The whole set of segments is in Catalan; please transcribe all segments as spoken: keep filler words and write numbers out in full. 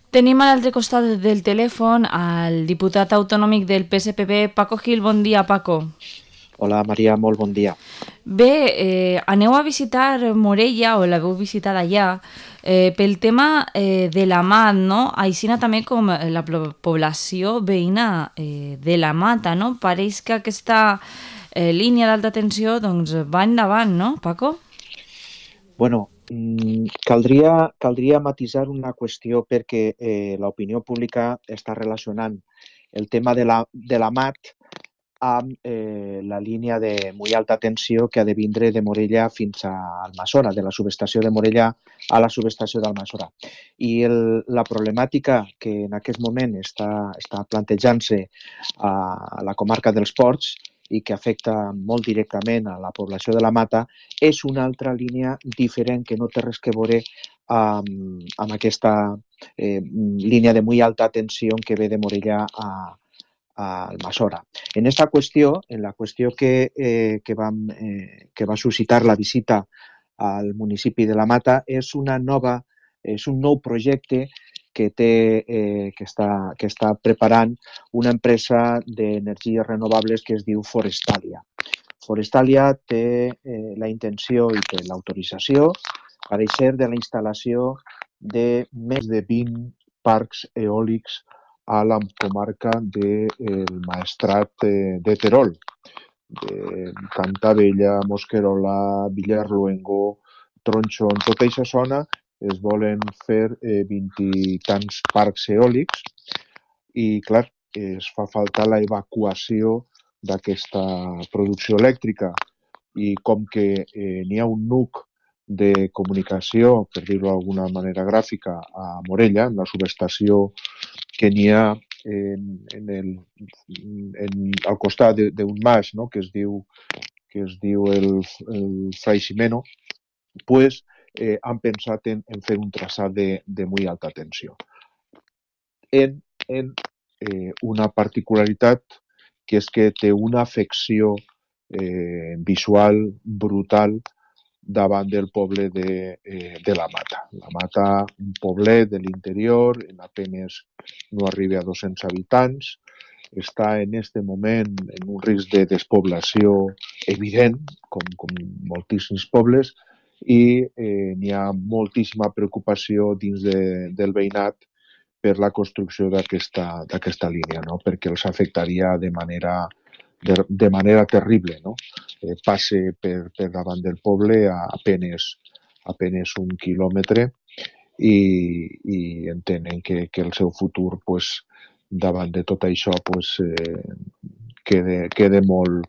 Tenim a l'altre costat del telèfon al diputat autonòmic del P S P B, Paco Gil. Bon dia, Paco. Hola Maria, molt bon dia. Bé, eh, aneu a visitar Morella, o l'heu visitat allà, eh, pel tema eh, de la Mat, no? Així també com la població veïna eh, de la Mata, no? Pareix que aquesta eh, línia d'alta tensió doncs, va endavant, no, Paco? Bueno, mm, caldria, caldria matisar una qüestió perquè eh, l'opinió pública està relacionant el tema de la, de la Mat amb eh, la línia de molt alta tensió que ha de vindre de Morella fins a Almassora, de la subestació de Morella a la subestació d'Almassora. I el, la problemàtica que en aquest moment està, està plantejant-se a la comarca dels Ports i que afecta molt directament a la població de la Mata és una altra línia diferent que no té res que veure amb, amb aquesta eh, línia de molt alta tensió que ve de Morella a, a Almassora. En esta qüestió, en la qüestió que, eh, que, vam, eh, que va suscitar la visita al municipi de la Mata, és una nova, és un nou projecte que, té, eh, que, està, que està preparant una empresa d'energies renovables que es diu Forestalia. Forestalia té eh, la intenció i té l'autorització per ser de la instal·lació de més de vint parcs eòlics a la comarca del Maestrat de Terol, de Cantabella, Mosquerola, Villarluengo, Tronxón, tota aquesta zona es volen fer eh, vint i tants parcs eòlics i, clar, es fa falta la evacuació d'aquesta producció elèctrica i com que eh, n'hi ha un nuc de comunicació, per dir-ho d'alguna manera gràfica, a Morella, en la subestació que n'hi ha en, en el, en, al costat d'un mas, no? que es diu, que es diu el, el Fray Ximeno, pues, eh, han pensat en, en fer un traçat de, de molt alta tensió. En, en eh, una particularitat que és que té una afecció eh, visual brutal davant del poble de, eh, de la Mata. La Mata, un poblet de l'interior, en apenes no arriba a dos-cents habitants, està en aquest moment en un risc de despoblació evident, com, com moltíssims pobles, i eh, n'hi ha moltíssima preocupació dins de, del veïnat per la construcció d'aquesta línia, no? Perquè els afectaria de manera, de, de manera terrible. No? Eh, passe per, per davant del poble a apenes, apenes un quilòmetre i, i entenen que, que el seu futur, pues, davant de tot això, pues, eh, queda, queda, molt,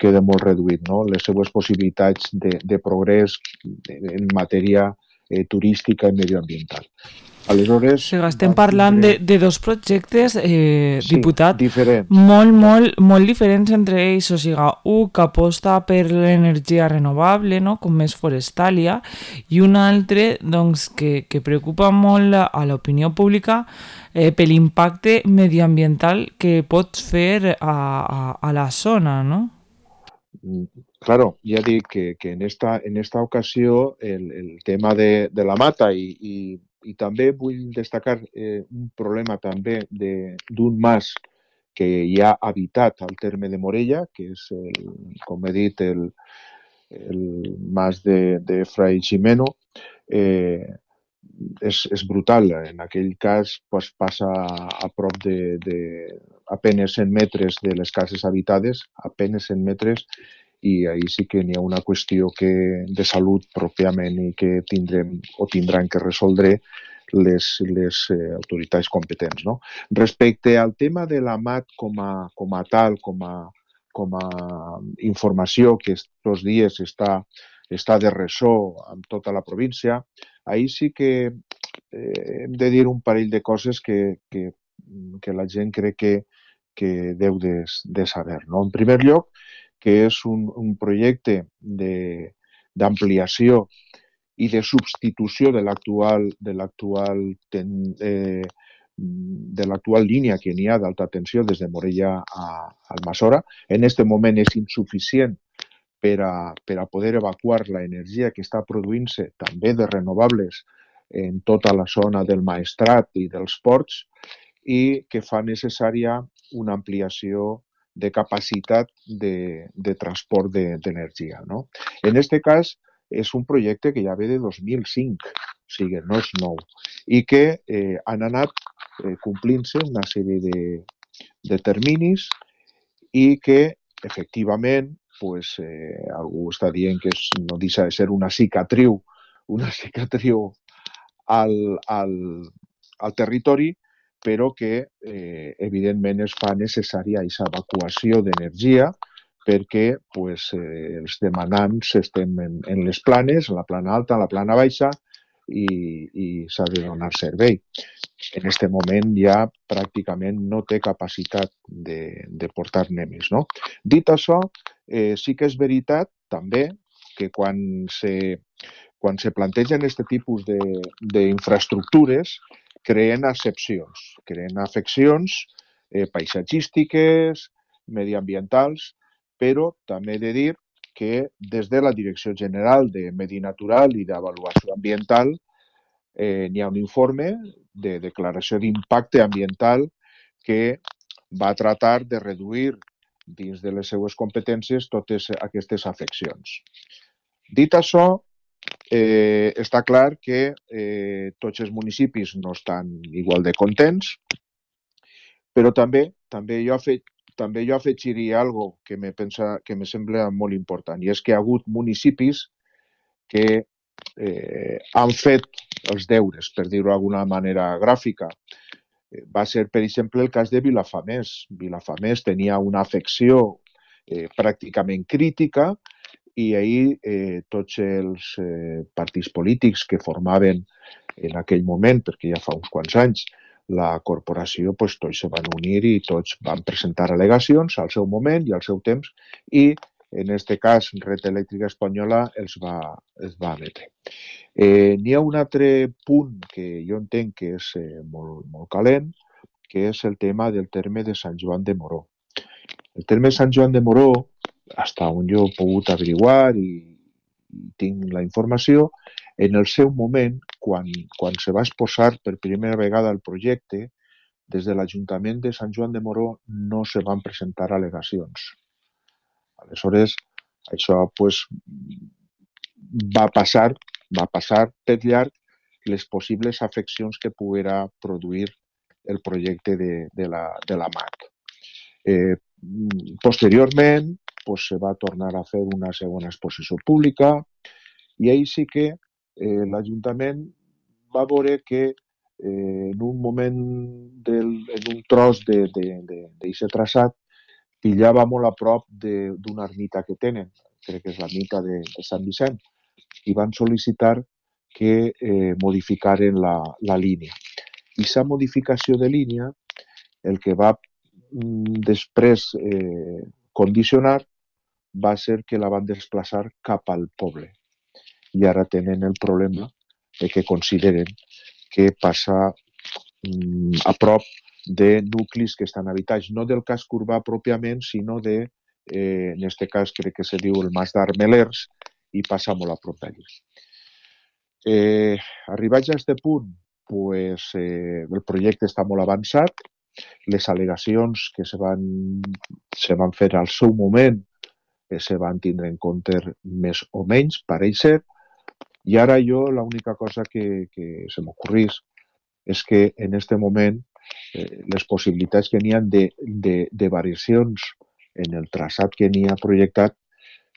queda molt reduït. No? Les seues possibilitats de, de progrés en matèria eh, turística i medioambiental. Aleshores, O sigui, estem vam parlant tindre... de, de dos projectes, eh, sí, diputat, diferents. molt, molt, molt diferents entre ells. O sigui, un que aposta per l'energia renovable, no? Com és Forestalia, i un altre doncs, que, que preocupa molt a l'opinió pública eh, per l'impacte medioambiental que pot fer a, a, a la zona, no? Claro, ya dic que, que en, esta, en esta ocasió el, el tema de, de la Mata i, i, i també vull destacar eh, un problema també d'un mas que hi ha habitat al terme de Morella, que és, el, com he dit, el, el mas de, de Fray Ximeno. Eh, és, és brutal. En aquell cas pues, passa a prop de, de apenes cent metres de les cases habitades, apenes cent metres, i ahir sí que n'hi ha una qüestió que, de salut pròpiament i que tindrem o tindran que resoldre les, les eh, autoritats competents. No? Respecte al tema de la Mat com a, com a tal, com a, com a informació que aquests dies està, està de ressò en tota la província, ahir sí que eh, hem de dir un parell de coses que, que, que la gent crec que, que deu de, de saber. No? En primer lloc, que és un, un projecte d'ampliació i de substitució de l'actual de l'actual eh, de l'actual línia que n'hi ha d'alta tensió des de Morella a Almassora. En aquest moment és insuficient per a, per a poder evacuar l'energia que està produint-se també de renovables en tota la zona del Maestrat i dels ports i que fa necessària una ampliació de capacitat de, de transport d'energia. No? En aquest cas, és un projecte que ja ve de dos mil cinc, o sigui, no és nou, i que eh, han anat eh, complint-se una sèrie de, de terminis i que, efectivament, pues, eh, algú està dient que és, no deixa de ser una cicatriu, una cicatriu al, al, al territori, però que, eh, evidentment, es fa necessària aquesta evacuació d'energia perquè pues, eh, els demanants estem en, en les planes, en la plana alta, en la plana baixa, i, i s'ha de donar servei. En aquest moment ja pràcticament no té capacitat de, de portar-ne més. No? Dit això, eh, sí que és veritat també que quan se, quan se plantegen aquest tipus d'infraestructures creen excepcions, creen afeccions eh, paisatgístiques, mediambientals, però també he de dir que des de la Direcció General de Medi Natural i d'Avaluació Ambiental eh, n'hi ha un informe de declaració d'impacte ambiental que va tratar de reduir dins de les seues competències totes aquestes afeccions. Dit això, eh, està clar que eh, tots els municipis no estan igual de contents, però també també jo, fe, també jo afegiria algo que me, pensa, que me sembla molt important, i és que hi ha hagut municipis que eh, han fet els deures, per dir-ho d'alguna manera gràfica. Va ser, per exemple, el cas de Vilafamés. Vilafamés tenia una afecció eh, pràcticament crítica i ahir eh, tots els eh, partits polítics que formaven en aquell moment, perquè ja fa uns quants anys, la corporació, pues, tots se van unir i tots van presentar al·legacions al seu moment i al seu temps i, en aquest cas, Red Elèctrica Espanyola els va, els va emetre. Eh, N'hi ha un altre punt que jo entenc que és eh, molt, molt calent, que és el tema del terme de Sant Joan de Moró. El terme de Sant Joan de Moró, fins on jo he pogut averiguar i, i tinc la informació, en el seu moment, quan, quan se va exposar per primera vegada el projecte, des de l'Ajuntament de Sant Joan de Moró no se van presentar al·legacions. Aleshores, això pues, va passar va passar per llarg les possibles afeccions que poguera produir el projecte de, de, la, de la M A C. Eh, posteriorment, pues, se va tornar a fer una segona exposició pública i ahir sí que eh, l'Ajuntament va veure que eh, en un moment, del, en un tros d'aquest traçat, pillava molt a prop d'una ermita que tenen, crec que és l'ermita de, de Sant Vicent, i van sol·licitar que eh, modificaren la, la línia. I aquesta modificació de línia el que va mm, després eh, condicionar va ser que la van desplaçar cap al poble. I ara tenen el problema de que consideren que passa mm, a prop de nuclis que estan habitats, no del casc urbà pròpiament, sinó de, eh, en aquest cas crec que se diu el Mas d'Armelers, i passa molt a prop d'allí. Eh, arribats a aquest punt, pues, eh, el projecte està molt avançat, les al·legacions que se van, se van fer al seu moment eh, se van tindre en compte més o menys, pareix ser, i ara jo l'única cosa que, que se m'ocorrís és que en aquest moment eh, les possibilitats que n'hi ha de, de, de variacions en el traçat que n'hi ha projectat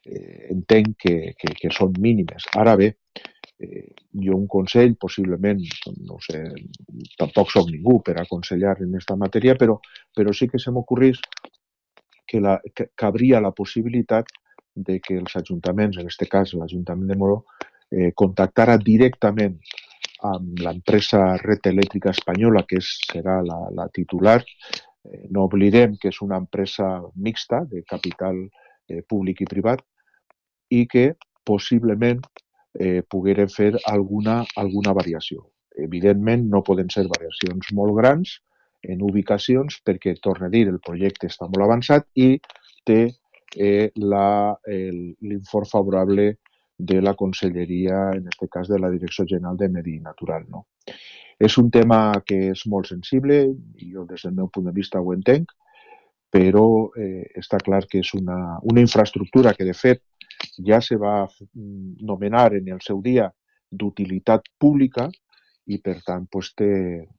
eh, entenc que, que, que són mínimes. Ara bé, eh, jo un consell, possiblement, no sé, tampoc soc ningú per aconsellar en aquesta matèria, però, però sí que se m'ocorrís que, la, que cabria la possibilitat de que els ajuntaments, en aquest cas l'Ajuntament de Moró, eh, contactara directament amb l'empresa Red Elèctrica Espanyola, que és, serà la, la titular. Eh, no oblidem que és una empresa mixta de capital eh, públic i privat i que possiblement eh, pogueren fer alguna, alguna variació. Evidentment no poden ser variacions molt grans en ubicacions perquè, torno a dir, el projecte està molt avançat i té eh, l'informe favorable de la Conselleria, en aquest cas de la Direcció General de Medi Natural. No? És un tema que és molt sensible, i jo des del meu punt de vista ho entenc, però eh, està clar que és una, una infraestructura que, de fet, ja se va nomenar en el seu dia d'utilitat pública i, per tant, pues, té,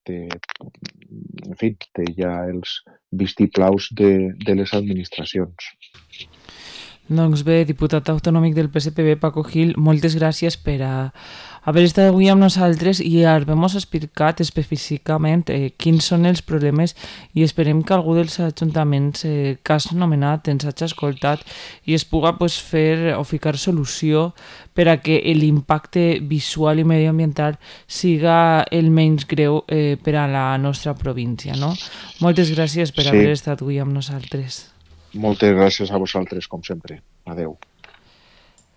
té, en fi, té ja els vistiplaus de, de les administracions. Doncs bé, diputat autonòmic del P S P B, Paco Gil, moltes gràcies per a haver estat avui amb nosaltres i haver-nos explicat específicament eh, quins són els problemes, i esperem que algú dels ajuntaments eh, que has nomenat ens hagi escoltat i es puga pues, fer o ficar solució per a que l'impacte visual i medioambiental siga el menys greu eh, per a la nostra província. No? Moltes gràcies per Sí. haver estat avui amb nosaltres. Moltes gràcies a vosaltres, com sempre. Adeu.